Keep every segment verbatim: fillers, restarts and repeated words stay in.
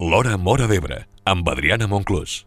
L'Hora Móra d'Ebre, amb Adriana Monclús.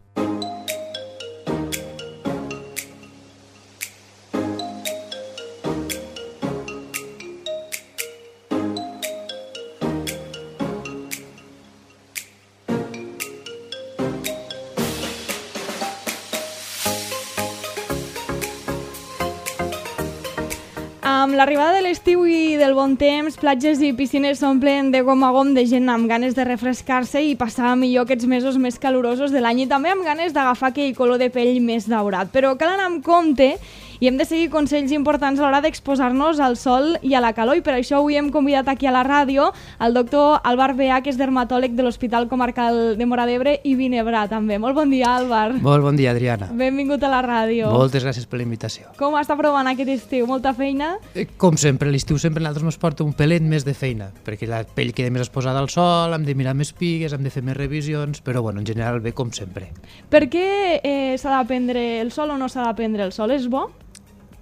Amb l'arribada de l'estiu i del bon temps, platges i piscines s'omplen de gom a gom de gent amb ganes de refrescar-se i passar millor aquests mesos més calorosos de l'any i també amb ganes d'agafar aquell color de pell més daurat. Però cal anar amb compte i hem de seguir consells importants a l'hora d'exposar-nos al sol i a la calor, i per això avui hem convidat aquí a la ràdio el doctor Álvar Beà, que és dermatòleg de l'Hospital Comarcal de Móra d'Ebre i Vinebrà també. Molt bon dia, Álvar. Molt bon dia, Adriana. Benvingut a la ràdio. Moltes gràcies per la invitació. Com està provant aquest estiu? Molta feina? Com sempre, l'estiu sempre a nosaltres ens porta un pelet més de feina, perquè la pell queda més exposada al sol, hem de mirar més pigues, hem de fer més revisions, però bueno, en general bé com sempre. Per què eh, s'ha de prendre el sol o no s'ha de prendre el sol? És bo?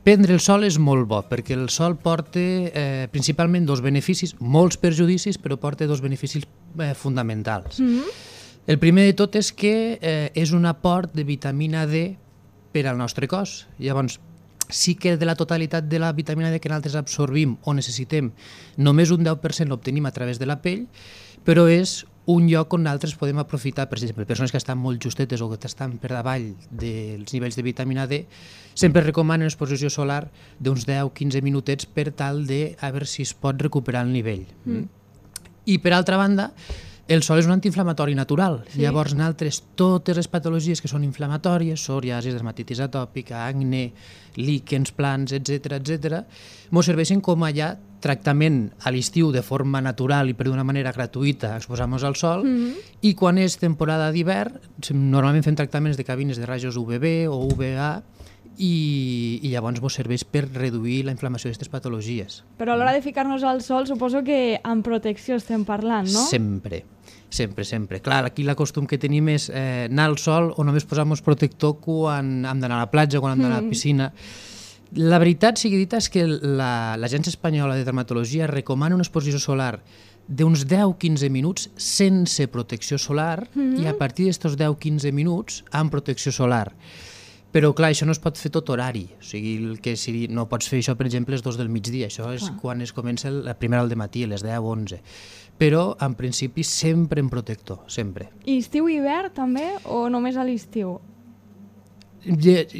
Prendre el sol és molt bo, perquè el sol porta eh, principalment dos beneficis, molts perjudicis, però porta dos beneficis eh, fonamentals. Mm-hmm. El primer de tot és que eh, és un aport de vitamina D per al nostre cos. Llavors, sí que de la totalitat de la vitamina D que nosaltres absorbim o necessitem, només un deu per cent l'obtenim a través de la pell, però és un lloc on nosaltres podem aprofitar, per exemple, persones que estan molt justetes o que estan per davall dels nivells de vitamina D, sempre recomanen exposició solar d'uns deu a quinze minutets per tal de a veure si es pot recuperar el nivell. Mm. I per altra banda, el sol és un antiinflamatori natural. Sí. Llavors, nosaltres, totes les patologies que són inflamatòries, psoriasi, dermatitis atòpica, acne, líquens, plans, etcètera, etcètera, ens serveixen com a ja tractament a l'estiu de forma natural i per d'una manera gratuïta exposar-nos al sol, mm-hmm. i quan és temporada d'hivern, normalment fem tractaments de cabines de rajos U V B o U V A, i, i llavors ens serveix per reduir la inflamació d'aquestes patologies. Però a l'hora de ficar-nos al sol suposo que amb protecció estem parlant, no? Sempre, sempre, sempre. Clar, aquí l'acostum que tenim és eh, anar al sol o només posar-nos protector quan hem d'anar a la platja, quan hem d'anar a la piscina. La veritat sigui dita és que l'Agència Espanyola de Dermatologia recomana una exposició solar d'uns deu a quinze minuts sense protecció solar, mm-hmm. i a partir d'aquests deu a quinze minuts amb protecció solar. Però clar, això no es pot fer tot horari, o sigui, el que si, no pots fer això, per exemple, les dos del migdia, això és ah. quan es comença la primera al dematí, a les deu o onze. Però, en principi, sempre en protector, sempre. I estiu i hivern també, o només a l'estiu?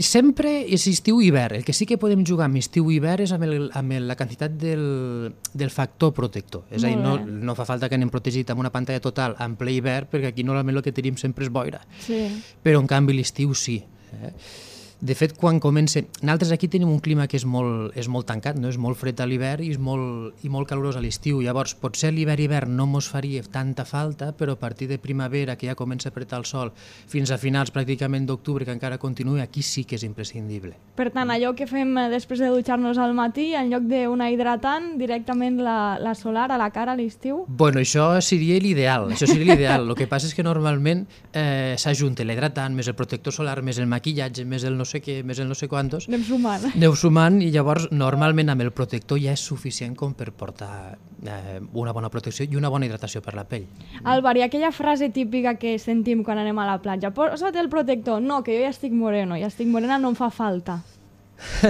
Sempre és estiu i hivern. El que sí que podem jugar amb estiu i hivern és amb, el, amb la quantitat del, del factor protector. És a dir, no, no fa falta que anem protegit amb una pantalla total en ple hivern, perquè aquí normalment el que tenim sempre és boira. Sí. Però, en canvi, l'estiu sí. De fet, quan comença... Nosaltres aquí tenim un clima que és molt, és molt tancat, no? És molt fred a l'hivern i és molt, i molt calorós a l'estiu. Llavors, potser l'hivern-hivern no mos faria tanta falta, però a partir de primavera, que ja comença a apretar el sol, fins a finals pràcticament d'octubre, que encara continua, aquí sí que és imprescindible. Per tant, allò que fem després de dutxar-nos al matí, en lloc d'una hidratant, directament la, la solar a la cara a l'estiu? Bueno, això seria l'ideal, això seria l'ideal. El que passa és que normalment eh, s'ajunta l'hidratant, més el protector solar, més el maquillatge, més el no sé què, més el no sé quantos. Anem sumant. Anem sumant i llavors normalment amb el protector ja és suficient com per portar eh, una bona protecció i una bona hidratació per la pell. Álvar, i aquella frase típica que sentim quan anem a la platja, posa't el protector, no, que jo ja estic moreno, ja estic morena, no em fa falta.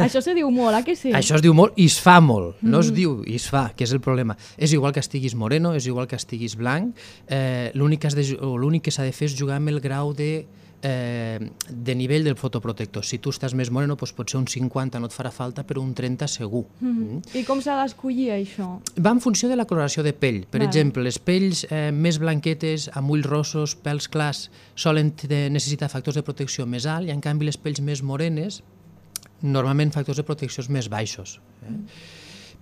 Això se diu molt, eh que sí? Això es diu molt i es fa molt, no es diu i es fa, que és el problema. És igual que estiguis moreno, és igual que estiguis blanc, eh, l'únic que s'ha de fer és jugar amb el grau de Eh, de nivell del fotoprotector. Si tu estàs més moreno, doncs potser un cinquanta no et farà falta, però un trenta segur. Mm-hmm. Mm. I com s'ha d'escollir això? Va en funció de la coloració de pell. Per vale. exemple, les pells eh, més blanquetes, amb ulls rossos, pèls clars, solen necessitar factors de protecció més alt, i en canvi les pells més morenes, normalment factors de protecció més baixos. Eh? Mm.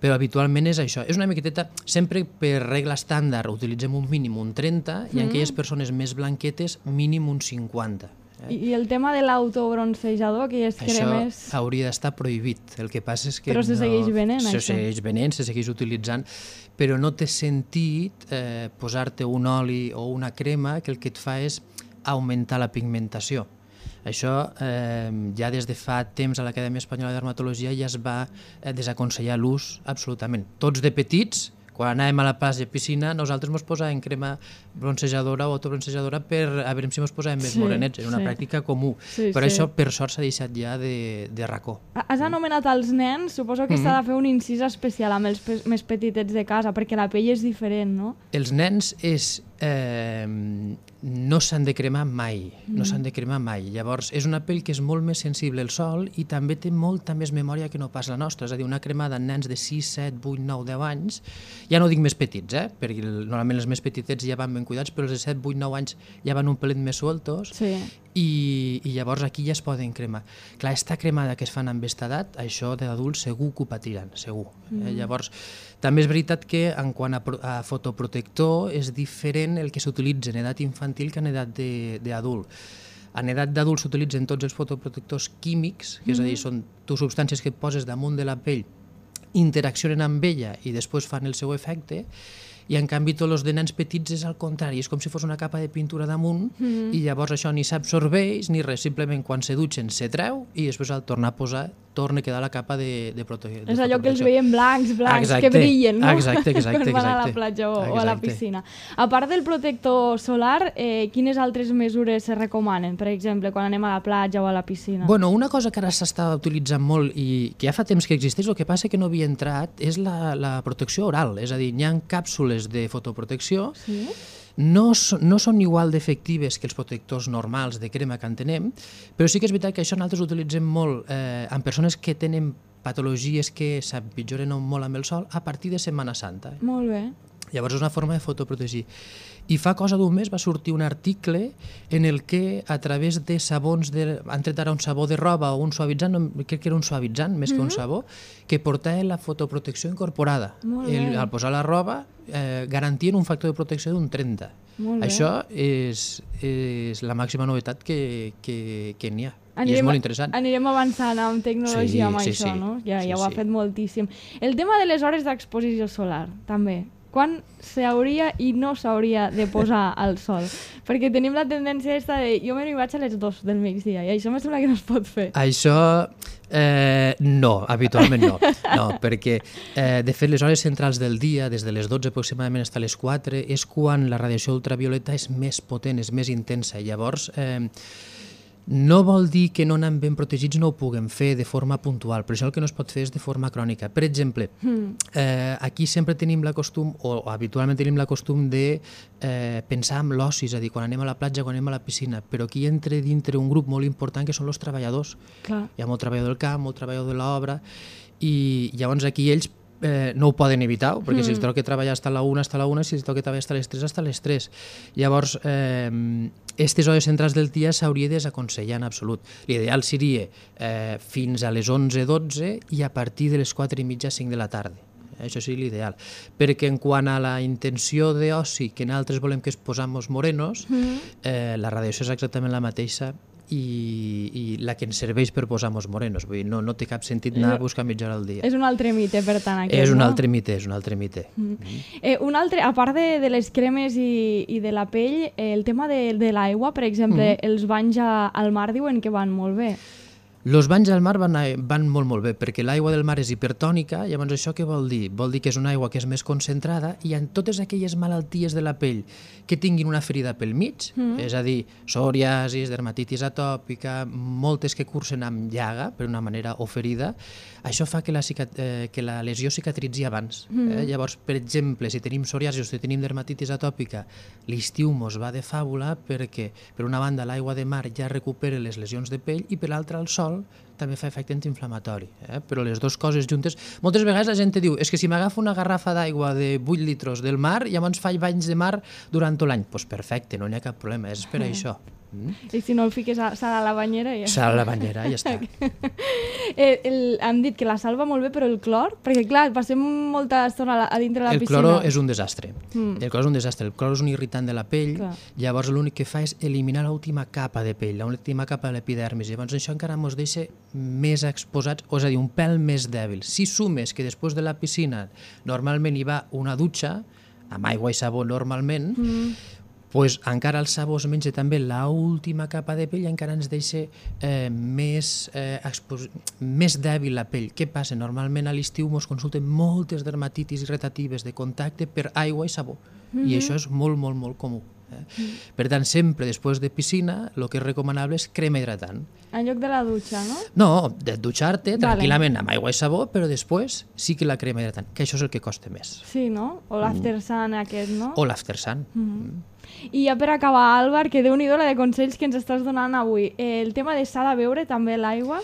Però habitualment és això. És una miqueteta, sempre per regla estàndard utilitzem un mínim un trenta, mm. i en aquelles persones més blanquetes mínim un cinquanta. Eh? I, I el tema de l'autobroncejador, aquelles cremes... Això hauria d'estar prohibit. El que passa és que però se no... segueix venent, se això. Se segueix venent, se segueix utilitzant, però no té sentit eh, posar-te un oli o una crema que el que et fa és augmentar la pigmentació. Això eh, ja des de fa temps a l'Acadèmia Espanyola de Dermatologia ja es va eh, desaconsellar l'ús absolutament. Tots de petits, Quan anàvem a la platja, piscina, nosaltres ens posàvem crema bronzejadora o autobronzejadora per a veure si ens posàvem més Sí, morenets. Era una sí. pràctica comú. Sí, Però sí. això, per sort, s'ha deixat ja de, de racó. Has anomenat els nens, suposo que s'ha de fer un incís especial amb els pe més petitets de casa, perquè la pell és diferent, no? Els nens és, eh, no s'han de cremar mai, no s'han de cremar mai. Llavors, és una pell que és molt més sensible al sol i també té molta més memòria que no pas la nostra. És a dir, una cremada en nens de sis, set, vuit, nou, deu anys, ja no dic més petits, eh? Perquè normalment els més petitets ja van ben cuidats, però els de set, vuit, nou anys ja van un pelet més sueltos. Sí. I, i llavors aquí ja es poden cremar. Clar, esta cremada que es fan amb esta edat, això d'adults segur que ho patiran, segur. Mm. Eh? Llavors, també és veritat que en quant a, a fotoprotector és diferent el que s'utilitza en edat infantil que en edat d'adult. En edat d'adult s'utilitzen tots els fotoprotectors químics, que és a dir, són tu substàncies que et poses damunt de la pell, interaccionen amb ella i després fan el seu efecte, i en canvi tots els de nens petits és al contrari, és com si fos una capa de pintura damunt mm. i llavors això ni s'absorbeix ni res, simplement quan se dutxen se treu i després al tornar a posar torna a quedar la capa de, de protecció. És allò que els veiem blancs, blancs, exacte, que brillen, no? Exacte, exacte. Quan van a la exacte. platja o, exacte. o a la piscina. A part del protector solar, eh, quines altres mesures se recomanen, per exemple, quan anem a la platja o a la piscina? Bueno, una cosa que ara s'està utilitzant molt i que ja fa temps que existeix, el que passa que no havia entrat, és la, la protecció oral, és a dir, hi ha càpsules de fotoprotecció. Sí? No, no són igual d'efectives que els protectors normals de crema que en tenem, però sí que és veritat que això nosaltres ho utilitzem molt eh, en persones que tenen patologies que s'empitjoren molt amb el sol a partir de Setmana Santa. Molt bé. Llavors és una forma de fotoprotegir. I fa cosa d'un mes va sortir un article en el que a través de sabons, de, han tret ara un sabó de roba o un suavitzant, no, crec que era un suavitzant més mm-hmm. que un sabó, que portava la fotoprotecció incorporada. El, al posar la roba eh, garantien un factor de protecció d'un trenta. Molt bé. Això és, és la màxima novetat que, que, que n'hi ha. Anirem, I és molt interessant. Anirem avançant amb tecnologia sí, amb sí, això, sí. no? Ja, sí, ja ho ha sí. fet moltíssim. El tema de les hores d'exposició solar, també. Quan s'hauria i no s'hauria de posar al sol? Perquè tenim la tendència esta de jo me n'hi vaig a les dos del migdia i això me sembla que no es pot fer. Això eh, no, habitualment no. No, perquè eh, de fet les hores centrals del dia, des de les dotze aproximadament fins a les quatre, és quan la radiació ultravioleta és més potent, és més intensa. I llavors eh, no vol dir que no anem ben protegits no ho puguem fer de forma puntual, però això el que no es pot fer és de forma crònica. Per exemple, eh, aquí sempre tenim la costum, o habitualment tenim la costum de eh, pensar en l'oci, és a dir, quan anem a la platja, quan anem a la piscina, però aquí entra dintre un grup molt important que són els treballadors. Clar. Hi ha molt treballador del camp, molt treballador de l'obra, i llavors aquí ells Eh, no ho poden evitar, perquè mm. si els toca treballar fins a la una, fins a la una, si els toca treballar fins a les tres, fins a les tres. Llavors, eh, aquestes hores centrals del dia s'hauria de desaconsellar en absolut. L'ideal seria eh, fins a les onze dotze i a partir de les quatre i mitja cinc de la tarda. Això seria l'ideal. Perquè en quant a la intenció d'oci, que nosaltres volem que es posamos morenos, mm. eh, la radiació és exactament la mateixa i, i la que ens serveix per posar-nos morenos. Vull dir, no, no té cap sentit anar a buscar mitja hora al dia. És un altre mite, per tant, aquest, és un no? altre mite, és un altre mite. Mm. Mm. Eh, un altre, a part de, de les cremes i, i de la pell, eh, el tema de, de l'aigua, per exemple, mm. els banys a, al mar diuen que van molt bé. Els banys al mar van, van molt molt bé, perquè l'aigua del mar és hipertònica, llavors això què vol dir? Vol dir que és una aigua que és més concentrada i en totes aquelles malalties de la pell que tinguin una ferida pel mig, mm. és a dir, psoriasis, dermatitis atòpica, moltes que cursen amb llaga, per una manera, o ferida, això fa que la, eh, que la lesió cicatritzi abans. Mm. Eh? Llavors, per exemple, si tenim psoriasis o si tenim dermatitis atòpica, l'estiu mos va de fàbula perquè, per una banda, l'aigua de mar ja recupera les lesions de pell i per l'altra, el sol també fa efecte antiinflamatori, eh? Però les dues coses juntes... Moltes vegades la gent te diu és que si m'agafo una garrafa d'aigua de vuit litros del mar, llavors faig banys de mar durant tot l'any. Doncs pues perfecte, no n'hi ha cap problema, és per això. Mm. I si no el fiques a sal a la banyera ja... Sal a la banyera, ja està. eh, el, hem dit que la sal va molt bé, però el clor? Perquè clar, passem molta estona a dintre de la el piscina. El cloro és un desastre. Mm. El cloro és un desastre. El cloro és un irritant de la pell, clar. Llavors l'únic que fa és eliminar l'última capa de pell, l'última capa de l'epidermis. Llavors això encara ens deixa més exposats, o és a dir, un pèl més dèbil. Si sumes que després de la piscina normalment hi va una dutxa, amb aigua i sabó normalment, mm. pues encara el sabó es menja també l'última capa de pell i encara ens deixa eh, més, eh, més dèbil la pell. Què passa? Normalment a l'estiu ens consulten moltes dermatitis irritatives de contacte per aigua i sabó, mm-hmm. i això és molt, molt, molt comú. Eh? Mm. Per tant, sempre després de piscina el que és recomanable és crema hidratant. En lloc de la dutxa, no? No, de dutxar-te tranquil·lament amb aigua i sabó, però després sí que la crema hidratant, que això és el que costa més. Sí, no? O l'after sun aquest, no? O l'after sun. Mm-hmm. Mm. I ja per acabar, Àlvar, que déu-n'hi-do la de consells que ens estàs donant avui. El tema de s'ha de beure també l'aigua?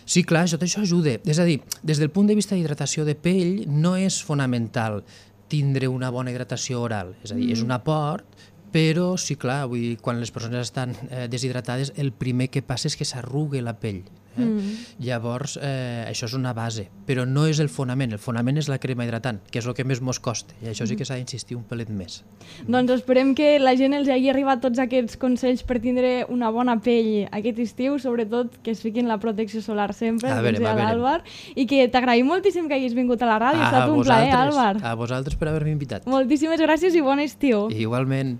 Sí, clar, tot això ajuda. És a dir, des del punt de vista d'hidratació de pell no és fonamental tindre una bona hidratació oral. És a dir, mm. és un aport, però sí, clar, vull dir, quan les persones estan eh, deshidratades, el primer que passa és que s'arruga la pell. Eh? Mm. Llavors, eh, això és una base, però no és el fonament. El fonament és la crema hidratant, que és el que més mos costa, i això sí que s'ha d'insistir un pelet més. Mm. Doncs esperem que la gent els hagi arribat tots aquests consells per tindre una bona pell aquest estiu, sobretot que es fiquin la protecció solar sempre, a veure, a l'Àlvar, i que t'agraïm moltíssim que hagis vingut a la ràdio. Ha estat un plaer, Àlvar. A vosaltres per haver-me invitat. Moltíssimes gràcies i bon estiu. Igualment.